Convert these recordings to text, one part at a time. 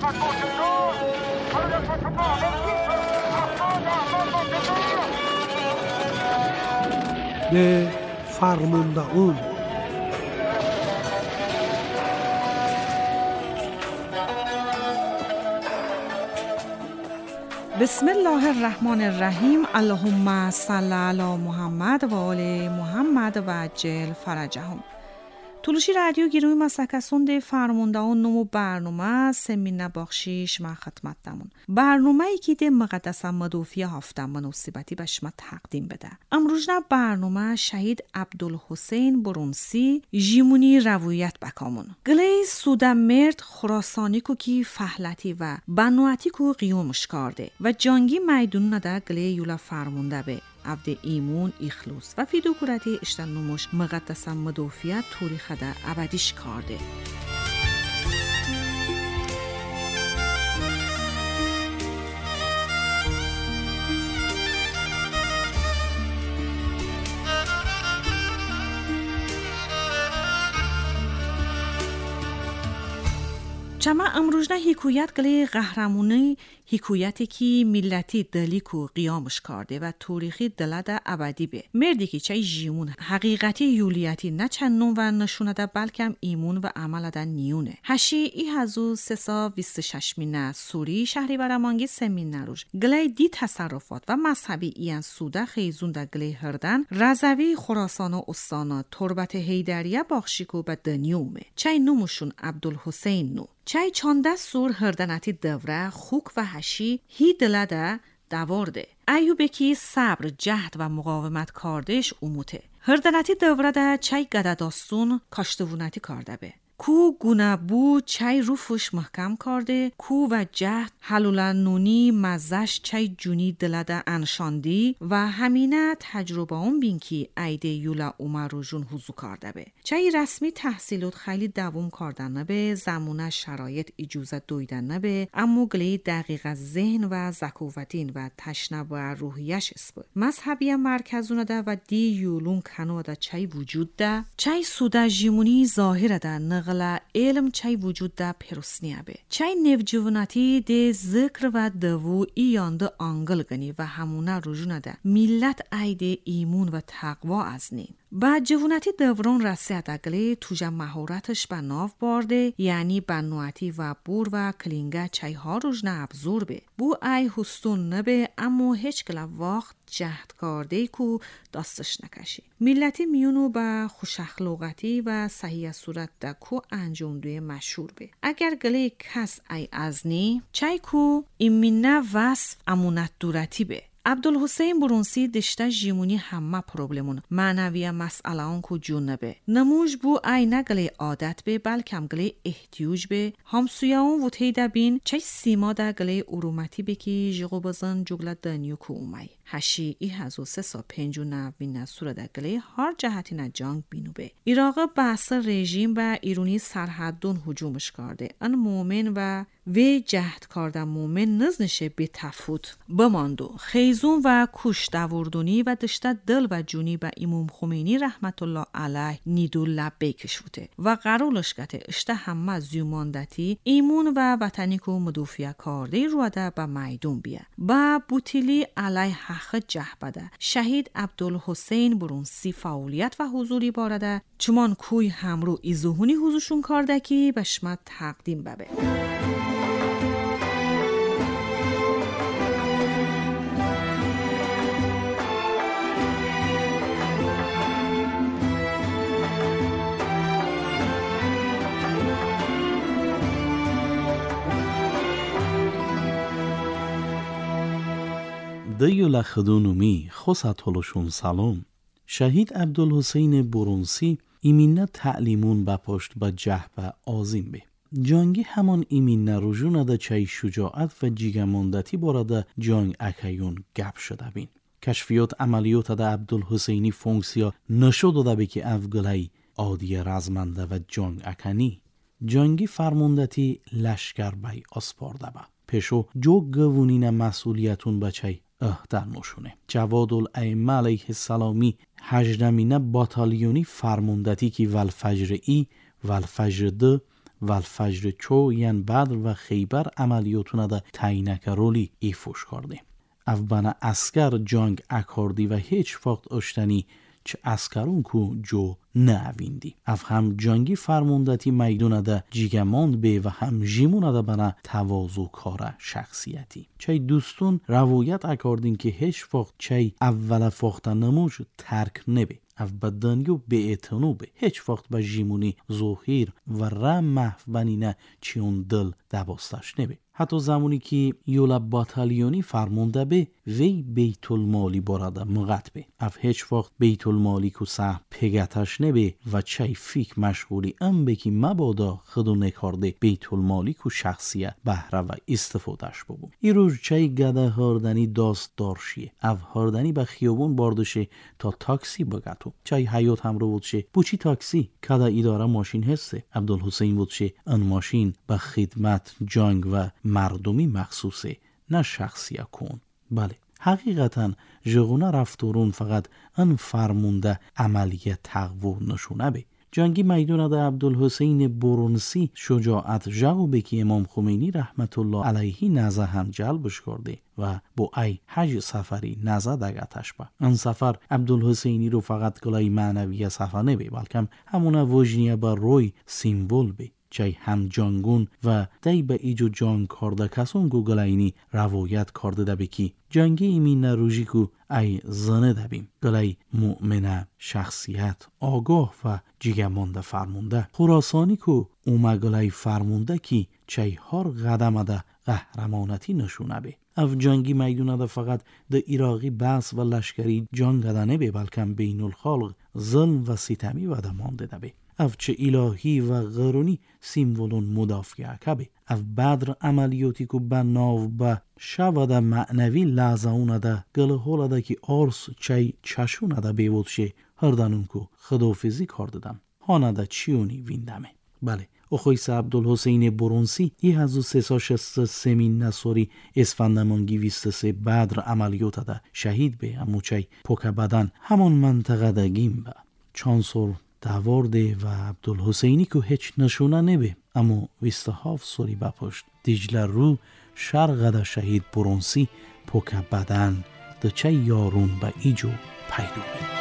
ده فرمونده‌اون. بسم الله الرحمن الرحیم. اللهم صل علی محمد و آل محمد و عجل فرجهم. طولوشی رادیو گیروی مسکسون فرمونده‌اون نمو برنامه سمینه باخشیش من خدمت دمون. برنامه ای که ده مقدسم مدوفیه هفتم مناسبتی به شما تقدیم بده. امروز نه برنامه شهید عبدالحسین برونسی جیمونی روایت بکامون. گلی سوده مرد خراسانی کو کی فهلتی و بنواتی کو قیومش کرده و جانگی میدون نده گلی یولا فرمونده به. عبد ایمون اخلوص و فیدوکورتی اشتن نموش مقدسم مدوفیت توریخ ده ابدیش کرده. چما امروز نه حکایت گلی قهرمانی حکایتی که ملتی دلی کو قیامش کرده و تاریخی دلده ابدی به مردی که چای جیمون حقیقتی یولیتی نه چنون و نشونه ده بلکم ایمون و عمل ده نیونه. هشی ای هزو سسا 26 مینه سوری شهری برامانگی سمین نروش گلی دی تصرفات و مذهبی ایان سوده خیزون ده گلی هردن رضوی خراسان و استانا تربت حیدریه باخشیکو به دنیومه چای نومشون عبدالحسین نو چای چانده سور هردنتی دوره خوک و هشی هی دلده دوارده. ایوبه که صبر جهد و مقاومت کاردش اموته. هردنتی دوره ده چای گدداستون کاشتوونتی کارده به. کو گونه بو چای روفش محکم کرده کو و جهد حلولن نونی مزش چای جونی دلده انشاندی و همینه تجربه اون بین که ایده یولا اومر رو جون حضو کرده به. چای رسمی تحصیلات خیلی دوام کردن نبه، زمونه شرایط اجازه دویدن نبه، اما گلی دقیق ذهن و ذکاوتین و تشنه و روحیش اسب. مذهبی مرکزونه ده و دی یولون کنو ده چای وجود ده، چای سوده جیمونی ظاهر ده نغلا علم چای وجود ده پرسنیه به. چای نوجواناتی ده ذکر و دوو ایانده آنگل گنی و همونه رجونه ده ملت ایده ایمون و تقوا از نین. با جواناتی دوران رسید اگلی توجه مهارتش به ناو بارده، یعنی بنواتی و بور و کلینگه چای ها روژنه ابزور به. بو ای هستون نبه اما هیچ کلا وقت جهد کرده کو دستش نکشی. ملتی میونو به خوش اخلاقتی و صحیح صورت ده کو انجام دوی مشهور به. اگر گلی کس ای ازنی چای کو ایمینه وصف امونت دورتی به. عبدالحسین برونسی دشته جیمونی همه پروبلمون معنوی مسئله آن کو جونه به. نموش بو ای نگلی عادت به بلکم گلی احتیاج به. همسویه اون و تیده بین چه سیما ده گلی ارومتی به که جغو بزن جگله دنیو کو اومی. هشی ای هزو سه سا پنج و نوین سوره ده گلی هر جهتی نه جنگ بینو به. ایراق بحث رژیم و ایرونی سرحدون هجومش کرده. ان مومن و وی جهد کردن مومن نزنشه به تفوت بماندو. خیزون و کوش دوردونی و دشته دل و جونی به امام خمینی رحمت الله علیه نیدو لبه کشوته و قرولش گته اشته همه زیوماندتی ایمون و وطنی کو مدوفیه کرده روده به میدون بیه. با بوتیلی علیه حق جهبده شهید عبدالحسین برونسی فعالیت و حضوری بارده چمان کوی همرو ایزوهونی حضورشون کرده که به شما تقدیم ببه. دیولا خدونومی خوصتولشون سلام. شهید عبدالحسین برونسی ایمینه تعلیمون به پشت به جهبه آزیم به. جانگی همان ایمینه رجونه ده چای شجاعت و جیگماندتی بارده جانگ اکیون گپ شده بین. کشفیات عملیات ده عبدالحسینی فونکسیا نشو داده به که افگلی عادی رزمنده و جانگ اکنی. جانگی فرموندتی لشکر بی آسپارده به. پیشو جو گوونین مسئولیتون بچه اهدر نشونه. جواد الائمه علیه السلامی هجدمینه باتالیونی فرموندتی که والفجر ای والفجر دو والفجر چو ین بدر و خیبر عملیاتونه ده تعیینک رولی ایفوش کرده. اف بنا اسکر جانگ اکاردی و هیچ وقت اشتنی چه اسکرون کو جو نویندی. اف هم جانگی فرموندتی میدونه ده جیگماند به و هم جیمونه ده بنا تواضع کاره شخصیتی. چه دوستون روایت اکاردین که هیچ وقت چه اول فاخته نموش ترک نبی. اف بدنیو به اعتنو به هیچ وقت به جیمونی ظهیر و رم محو بنینه چیون دل دباستش نبی. حتی زمانی که یولا باتالیونی فرمونده به وی بیت المالی بارده مغت به. اف هیچ وقت بیت المالی کو سه پگتش نبی و چای فیک مشغولی ام به که مبادا خودو نکارده بیت المالی کو شخصیه بهره و استفادهش ببو. ای روز چای گده هاردنی داست دارشیه. اف هاردنی به خیابون باردشه تا تاکسی بگتو. چای حیات هم رو بودشه بوچی تاکسی کده اداره ماشین هسته. عبدالحسین بودشه ان ماشین به خدمت جنگ و مردمی مخصوصه نه شخصیه کن. بله حقیقتا جغونه رفتارون فقط ان فرمونده عملیه تقوی نشونه به. جنگی میدون ده عبدالحسین برونسی شجاعت جاو به که امام خمینی رحمت الله علیه نزه هم جلبش کرده و با ای حج سفری نزه دگتش با. ان سفر عبدالحسینی رو فقط گلای معنوی سفر نبی بلکم همونه وجنیه بر روی سیمبول بی. چای هم جانگون و دی به ایجو جانگ کرده کسون گو گلاینی روایت کرده ده بکی جنگی ایمی نروژی کو ای زنه دبیم گلای مؤمنه شخصیت آگاه و جیگمانده فرمونده خراسانی کو اومه گلای فرمونده کی چای هر قدمه ده قهرمانتی نشونه بی. اف جنگی میدونه ده فقط ده ایراقی بس و لشکری جنگ ده نبی بلکم بین الخالق ظلم و ستمی و ده مانده ده بی. اف چه الهی و غرونی سیمولون مدافعه کبه. اف بدر عملیاتی که به ناو به شوده معنوی لحظه ده گله ده که آرس چای چشونه ده بیود شه هردنون که خدافزی کرده دم هانه ده چیونی ویندمه. بله اخویس عبدالحسین برونسی 1363 نصاری اسفندمانگی 23 بدر عملیات ده شهید به امو چای پوک بدن همون منطقه ده گیم به چانسور دوارده و عبدالحسینی که هیچ نشونه نبی اما 27 سالی بپشت دیجله رو شرقه ده شهید برونسی پوک بدن ده چه یارون به ایجو پیدا بی.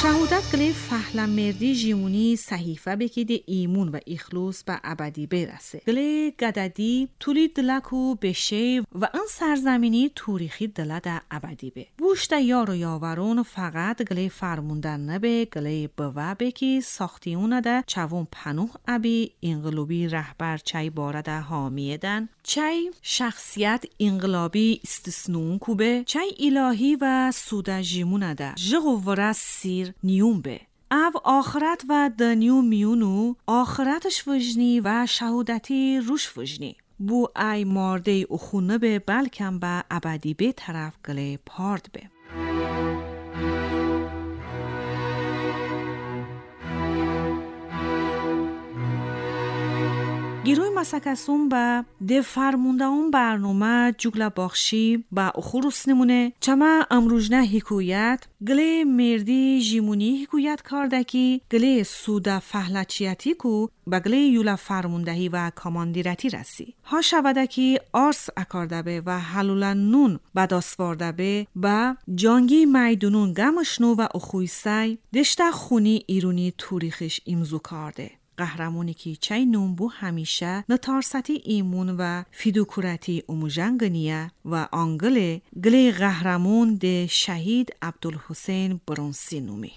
شهادت گله فهلمردی جیمونی صحیفه بکیده ایمون و اخلوص به ابدی برسه. گله گددی طولی دلکو بشه و ان سرزمینی تاریخی دله در ابدی به. بوشت یار و یاورون فقط گله فرموندن نبه گله بوه بکی ساختیونه ده چوون پنوه ابی انقلابی رهبر چای باره ده حامیه دن چای شخصیت انقلابی استثنون کوبه چای الهی و سوده جیمونه ده جغوره سیر نیوم به. او آخرت و دنیو میونو آخرتش وجنی و شهودتی روش وجنی. بو ای مارده اخونه به بلکم به ابدی به طرف گله پارد به. گیروی مسکسون به ده فرمونده اون برنامه جوگله باخشی به اخروس نمونه چما امروزنه حکویت گله مردی جیمونی حکویت کاردکی گله سوده فهلچیتی کو به گله یولا فرموندهی و کاماندیرتی رسی ها شوده که آرس اکارده به و حلولا نون بداسوارده به به جانگی میدونون گمشنو و اخویسی دشته خونی ایرونی توریخش امزو کارده. قهرمانی که چای نومبو همیشه نتارستی ایمون و فیدوکورتی اموژنگنیه و آنگله گله قهرمان ده شهید عبدالحسین برونسی نومی.